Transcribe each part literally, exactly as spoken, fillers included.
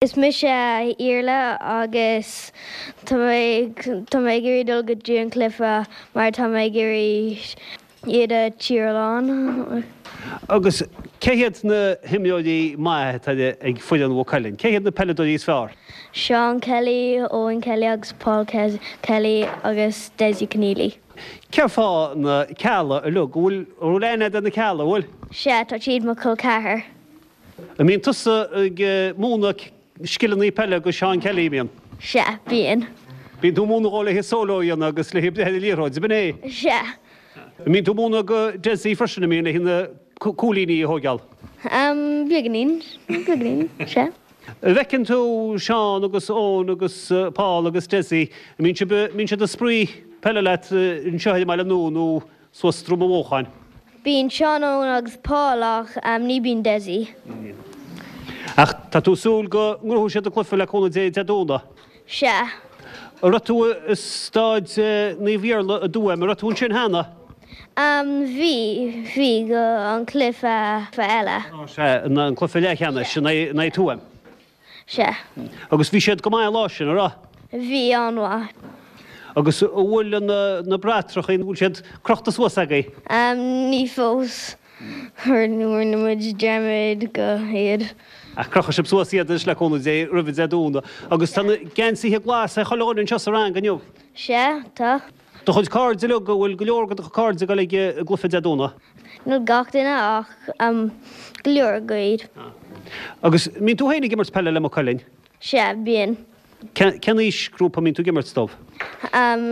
Is mise Iarla agus tá mé tá mé ag iarraidh dul go dtí an cluiche mar tá mé ag iarraidh iad a cheeráil. Agus cé hiad na himreoirí maithe atá ag foireann Mhaigh Cuilinn? Cé hiad na peileadóirí is fearr? Seán Kelly, Owen Kelly agus Paul Kelly agus Desi Keneally. Cé fá na Cealla uilig go bhfuil bhfuil aithne ar na Cealla bhfuil? Sea tá siad mo chol ceathar. An mbíonn tusa ag múineadh scileanna peile do Seán Kelly bíonn? Sea bíonn. Bíonn tú múineadh dó le solo a dhéanamh agus le breith ar liathróid, b'in é? Sea. Mbíonn tú múineadh do Desi freisin a mbíonn le na cúilíní a thógáil? Um, beagáinín beagáinín sea. Feiceann tú Seán agus Eoin agus Paul agus Desi, mbíonn mbíonn siad ag spraoi peile leat anseo ar an mbaile nua nó suas Drom an Bhuacháin. Bíonn Seán Eoin agus Paul ach um, ní bíonn Desi. Ach tá tú súil go ngnóthóidh siad an cluiche le cúnamh Dé Dé Domhnaigh. Sea. Raibh tú i staid Naomh Iarla i dTuaim, raibh tú ansin cheana? Um, bhí bhí go an cluiche eile. Sea an cluiche leathcheannais sin é Tuaim. Sea. Agus bhí siad go maith lá sin ra? Bhí an-mhaith. Agus bhfuil na, na bratacha bhfuil siad crochta suas agaibh? Um, ní fós rinne muid dearmad go iad. Ach crochfaidh sibh suas iad le cúnamh Dé roimh Dé Domhnaigh. Agus tá na geansaithe glasa ag chuile dhuine anseo sa rang inniu. Sea tá. Do chuid cairde uilig go bhfuil go leor go do cairde ag dul ag an gcluiche Dé Domhnaigh. Níl gach duine ach um, go leor go Agus mbíonn tú féin ag imirt peile le Maigh Cuilinn? Sea bíonn. Cén aoisghrúpa mbíonn tú ag imirt dóibh? Um,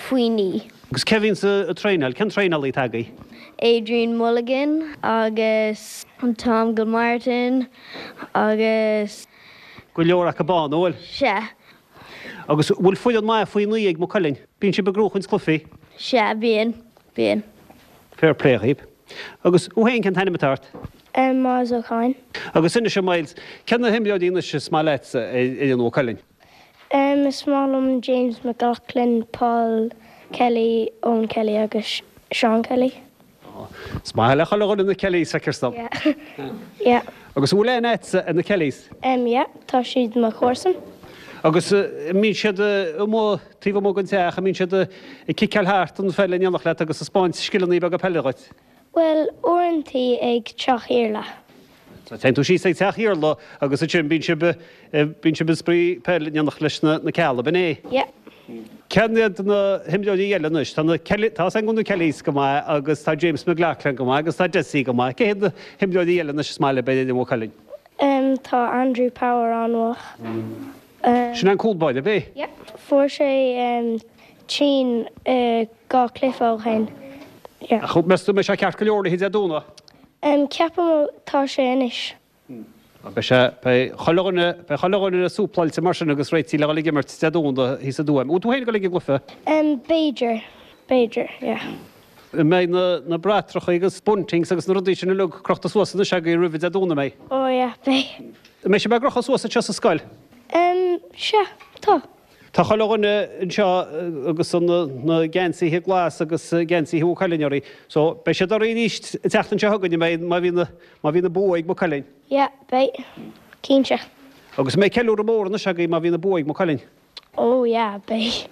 faoi naoi. Agus cé bhíonn ag traenáil, cén traenálaí atá agaibh? Adrian Mulligan agus Tom Gilmartin agus Go leor acu bán bhfuil? Sea. Agus bhfuil foireann maith faoi naoi ag Maigh Cuilinn, Bíonn sibh ag gnóchaint cluichí? Sea bíonn bíonn. Fair play dhaoibh. Agus thú féin cén t-ainm atá ort? Um, Miles O'Connor. Agus inis dom Miles, cé na himreoirí anois is maith leat ar fhoireann Mhaigh Cuilinn? Um, is maith liom James McLaughlin, Paul Kelly, Owen Kelly agus Sean Kelly. Is maith le chuile dhuine na Kellys feictear dom. Yeah. yeah. Agus bhfuil aithne agat ar na Kellys? Um, yeah, tá siad mo chomharsan. Agus mbíonn siad amuigh taobh amuigh den teach, mbíonn siad ag ciceáil thart an pheil in éineacht leat agus ag 'spáint scileanna beaga peile dhuit. Well, uaireanta ag teach Iarla. So téann tú síos ag teach Iarla agus ansin bíonn sibh bíonn sibh ag spraoi peil in éineacht leis na na Cealla, b'in é? Yeah. Cén iad na himreoirí eile anois Tá na Kelly tá an na Kellys go maith agus tá James McLaughlin go maith agus tá Desi go maith, cé hiad na himreoirí eile anois is maith libh ar Mhaigh Cuilinn? Um, tá Andrew Power an-mhaith. Um, Sin an cúl báire bé? Yeah. Fuair sé um, tinn uh, dhá chluiche ó shin. Yeah. Ach meas tú mbeidh sé ceart go leor le Dé Domhnaigh? Um, ceapaim tá sé anois. Beidh sé chuile dhuine súpláilte mar sin agus réitithe le dhul ag imirt Dé Domhnaigh thíos i dTuaim. Bhfuil tú féin ag dul ag an gcluiche? Um, b'fhéidir, b'fhéidir, yeah. Mbeidh na, na bratacha agus buntings agus na rudaí sin uilig crochta suas anois agaibh roimh Dé Domhnaigh mbeidh. Oh yeah, beidh. Mbeidh sé be crochta suas anseo sa scoil? Um, sea, tá. Tá chuile dhuine anseo agus an na geansaithe glas agus geansaithe Mhaigh Cuilinn orthu. So beidh siad oraibh arís an tseachtain seo chugainn mbeidh má bhíonn má bhíonn bua ag Maigh Cuilinn. Yeah, beidh. Cinnte. Agus mbeidh ceiliúradh mór anois agaibh má bhíonn bua ag Maigh Cuilinn. Oh yeah, beidh.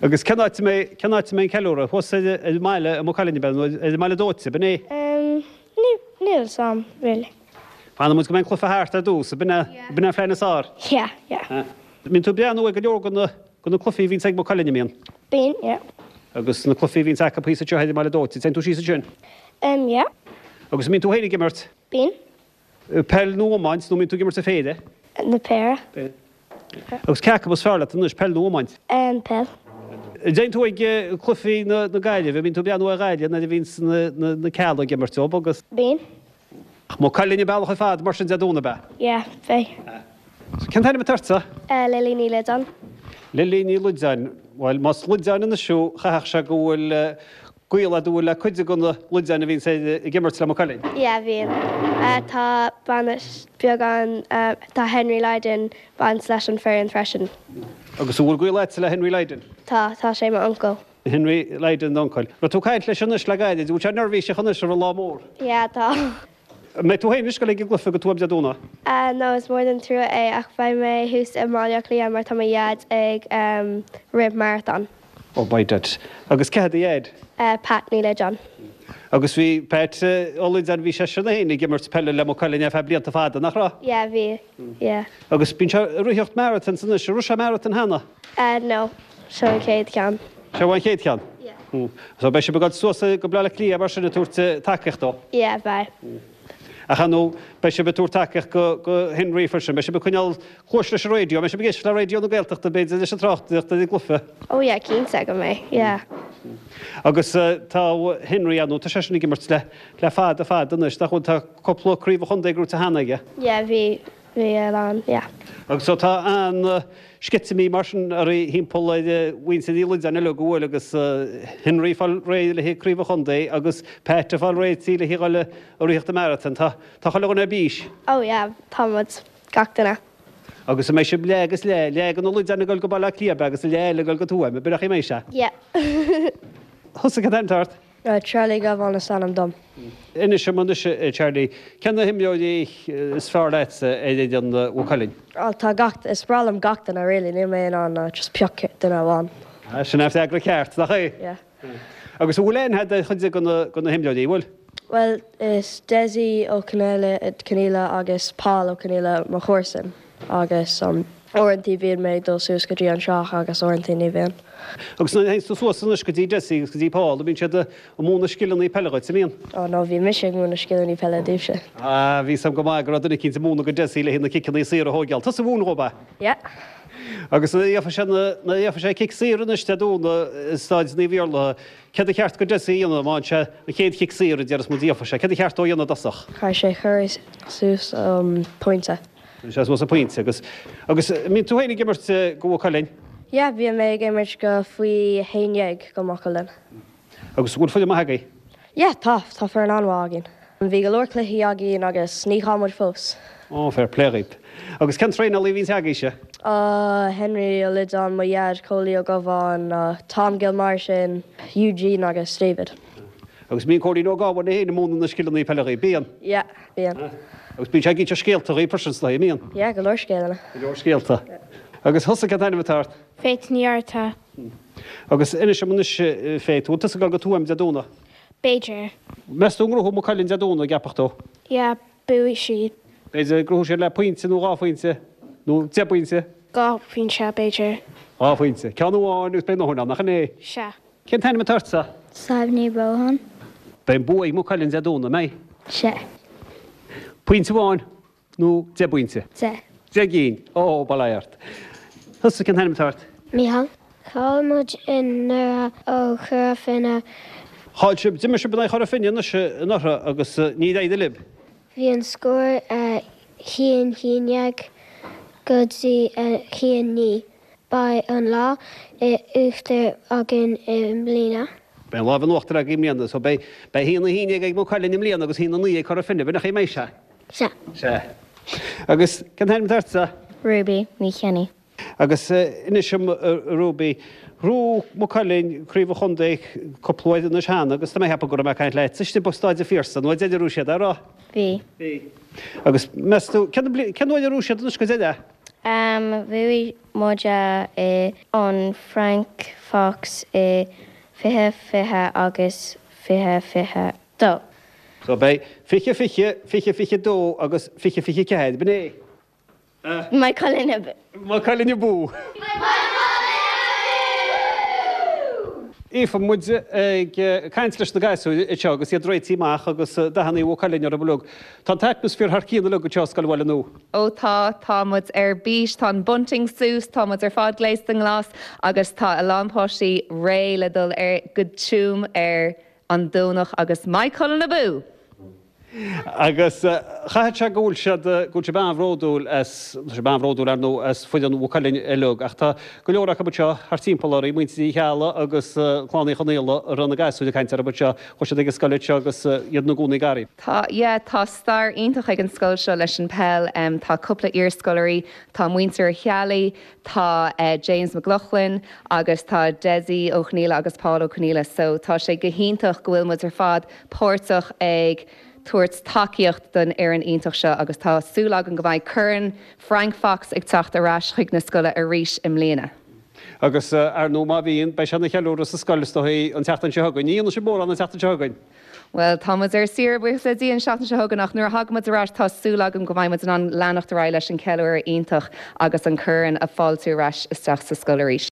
Agus cén áit mé cén áit mbeidh an ceiliúradh thuas ar ar an mbaile i Maigh Cuilinn be nó ar an mbaile dóite, b'in é? Um, níl a fhios a'm, really. Fanfaidh muid go mbeidh an cluiche thart ar dtús, b'in é b'in é an phlean is fearr. Yeah, yeah. Mbíonn tú breathnú ag go leor go na go na cluichí a bhíonn ag Maigh Cuilinn mbíonn. Bíonn, yeah. Agus na cluichí a bhíonn acu thíos anseo ar an mbaile dóite, téann tú síos ansin. Um, yeah. Agus mbíonn tú féin ag imirt Bíonn. peil nó iomáint nó mbíonn tú ag imirt an péire. Na péire. Agus cé acu is fearr leat anois peil nó iomáint. Um, peil. Téann tú ag cluichí na na Gaillimhe, mbíonn tú breathnú ar Ghaillimh nuair a bhíonn na na na Cealla ag imirt dóibh agus Bíonn. Maigh Cuilinn an bealach ar fad mar sin Dé Domhnaigh be. Yeah, beidh. Cén t-ainm atá ortsa? Uh, Lily Ní Loideáin. Lily Ní Loideáin, Well más Loideáin anois thú chaithfeadh sé go bhfuil gaol agat le cuid de na Loideáin a bhíonn ag imirt le Maigh Cuilinn. Yeah, bhíonn. Uh, tá baint beagán uh, tá Henry Lydon baint leis an foireann freisin. Agus bhfuil gaol agat le Henry Lydon. Tá tá sé mo uncail. Henry Lydon d'uncail. Raibh tú ag caint leis anois le gairid, bhfuil sé neirbhíseach anois ar an lá mór. Yeah, tá. An mbeidh tú féin anois ag dul ag an gcluiche go Tuaim Dé Domhnaigh? No, is mór an trua é ach beidh mé thuas i mBaile Átha Cliath mar tá mo dhaid ag rith marathon. Oh by dad. Agus cé hé do dhaid? Pat Ní Loideáin. Agus bhí Pat Ó Loideáin, bhí seisean féin ag imirt peile le Maigh Cuilinn ar feadh blianta fada, nach raibh? Yeah, bhí, yeah. Agus bíonn sé ag ritheacht marathons anois, an raibh sé marathon cheana? No, seo an chéad cheann. Seo an chéad cheann? Yeah. So beidh sibh ag dul suas go Baile Átha Cliath mar sin ag tabhairt tacaíocht dó? Yeah, beidh. Ach ar ndóigh, beidh sibh ag tabhairt tacaíocht go go Henry freisin, beidh sibh ag coinneáil cluais leis an raidió, beidh sibh ag éisteacht le Raidió na Gaeltachta b'fhéidir leis an tráchtaireacht ar an gcluiche? Oh yeah, cinnte go mbeidh, yeah. Agus tá Henry ar ndóigh, tá seisean ag imirt le le fada fada anois, nach bhfuil, tá cúpla craobh an chontae gnóite cheana aige. Yeah, bhí, bhí a lán, yeah. Agus so tá an-sceitimíní mar sin oraibh thimpeall ar mhuintir Uí Loideáin uilig go bhfuil agus Henry ag fáil réidh le haghaidh craobh an chontae agus Pat ag fáil réidh le haghaidh dhul ag ritheacht an marathon. Tá tá chuile dhuine ar bís. Oh yeah, tá muid, gach duine. Agus an mbeidh sibh leath agus leath, leath de na Loideáin ag dul go Baile Átha Cliath agus leath eile ag dul go Tuaim, ab in é a mbeidh sé? Yeah. Thusa cad é an t-ainm atá ort? Charlie Gabhán is ainm dom. Inis dom anois, a Charlie, cé na himreoirí is fearr leatsa ar fhoireann Mhaigh Cuilinn? Bhuel tá gach, is breá liom gach duine really, níl mé in ann just pioc duine amháin. Sin an freagra ceart, nach é? Yeah. Agus an bhfuil aithne agat ar chuid de na himreoirí, an bhfuil? Bhuel, is Dessie Ó Conaola agus Paul Ó Conaola mo chomharsan agus um, uaireanta bíonn mé ag dul suas go dtí an teach agus uaireanta ní bhíonn. Agus nuair a théann tú suas anois go dtí Dessie agus go dtí Paul, bíonn siad ag múineadh scileanna peile dhuit, an mbíonn? Ó no, bhí mise ag múineadh scileanna peile daoibhse. Ah, bhí 'fhios a'm go maith go raibh duine eicínt ag múineadh go Dessie le haghaidh na ciceanna saora a thógáil. Tusa a mhúin dhó, ab ea? Yeah. Agus nuair a gheobhaidh sé na, nuair a gheobhaidh sé cic saor anois Dé Domhnaigh i Staid Naomh Iarlaithe, céard a cheart go Dessie a dhéanamh má fhaigheann sé an chéad chic saor a déarfas muid a gheobhaidh sé, céard a cheart dó a dhéanamh i dtosach? Caithfidh sé cur suas um, pointe. Sé suas an pointe agus agus mbíonn tú féin ag imirt go Maigh Cuilinn? Yeah, bhí mé ag imirt go faoi haon dhéag go Maigh Cuilinn. Agus bhfuil foireann maith agaibh? Yeah, tá, tá foireann an-mhaith againn. Bhí go leor cluichí againn agus ní chaill muid fós. Ó, fair play dhaoibh. Agus cén traenálaí a bhíonns agaibhse? Uh, Henry Ó Loideáin, mo dhaid, Cóilí Ó Gabháin, uh, Tom Gilmartin, Eugene agus David. Agus bíonn Cóilín Ó Gabháin é féin ag múineadh na scileanna peile dhaoibh, bíonn? Yeah, bíonn. Agus bíonn sé ag inse scéalta dhaoibh freisin sna mbíonn? Yeah, go leor scéalta. Go leor scéalta. Agus thusa cén t-ainm atá ort? Faith Ní Fhátharta. Agus inis dom anois Faith, bhfuil tusa ag dul go Tuaim Dé Domhnaigh? B'fhéidir. Meas tú an ngnóthóidh Maigh Cuilinn Dé Domhnaigh, gceapfá tú? Yeah, buafaidh siad. B'fhéidir gnóthóidh siad le pointe nó dhá phointe nó deich bpointe? Dhá phointe, b'fhéidir. Dhá phointe. Ceann amháin agus beidh a ndóthain ann, nach in é? Sea. Cén t-ainm atá ortsa? Sadhbh Ní Bhrótháin. Beidh an bua ag Maigh Cuilinn Dé Domhnaigh, an mbeidh? Sea. Pointe amháin nó deich bpointe? Deich. Deich gcinn. Ó, bail ó Dhia ort. Thusa cén t-ainm atá ort? Mícheál. Chaill muid anuraidh ó Chora Finne. Chaill sibh, d'imir sibh in aghaidh Chora Finne anois anuraidh agus níor éirigh libh. Bhí an scór a haon haon déag go dtí a haon naoi. Beidh an lámh in uachtar againn i mbliana. Beidh an lámh in uachtar agaibh i mbliana, so beidh beidh haon a haon déag ag Maigh Cuilinn i mbliana agus haon a naoi ag Cora Finne, b'in nach é mbeidh sé? Sea. Sea. Agus cén t-ainm atá ortsa? Ruby Ní Cheannaí. Agus inis dom Ruby, ghnóthaigh Maigh Cuilinn craobh an chontae cúpla uair anois cheana agus tá mé ag ceapadh go raibh mé ag caint leat istigh i Staid an Phiarsaigh nó an deireadh a raibh siad, a raibh? Bhí. Bhí. Agus meas tú, cén cén uair a ghnóthaigh siad anois go deireadh? Um, bhuaigh muid i an Frank Fox i fiche fiche agus fiche fiche dó. So beidh fiche fiche, fiche fiche dó agus fiche fiche ceathair, b'in é? Maigh Cuilinn abú. Maigh Cuilinn abú. Aoife, muid ag caint leis na gasúir anseo agus iad réitithe amach agus dathanna Mhaigh Cuilinn orthu uilig. Tá an t-atmaisféar thar cionn uilig anseo i Scoil Bhaile Nua. Ó tá, tá muid ar bís, tá an bunting suas, tá muid ar fad gléasta i nglas agus tá a lán páistí réidh le dul ar go Tuaim ar an Domhnach agus Maigh Cuilinn abú! Agus chaithfeadh sé go bhfuil siad, go bhfuil sibh an-bhródúil as, tá sibh an-bhródúil ar ndóigh as foireann Mhaigh Cuilinn uilig ach tá go leor acu anseo thart timpeall oraibh, muintir Uí Cheallaigh agus Clann Uí Chonaola a raibh na gasúir ag caint orthu anseo, chuaigh siad ag an scoil anseo agus iad ina gcónaí gar daoibh. Tá, yeah, tá stair iontach ag an scoil seo leis an peil. Tá cúpla iarscoláirí, tá muintir Uí Cheallaigh, tá James McLaughlin agus tá Dessie Ó Conaola agus Paul Ó Conaola so tá sé go hiontach go bhfuil muid ar fad páirteach ag tabhairt tacaíocht don fhoireann iontach seo agus tá súil agam go mbeidh Corn Frank Fox ag teacht ar ais chuig na scoile arís i mbliana. Agus ar ndóigh má bhíonn, beidh sé ina cheiliúradh sa scoil is dóigh an tseachtain seo chugainn. Ní dhéanfaidh sibh mórán an tseachtain seo chugainn. Bhuel, tá muid ar saoire buíochas le Dia an seachtain seo chugainn ach nuair a thagann muid ar ais tá súil agam go mbeidh muid in ann leanacht ar aghaidh leis an ceiliúradh iontach agus an corn a fáiltiú ar ais isteach sa scoil arís.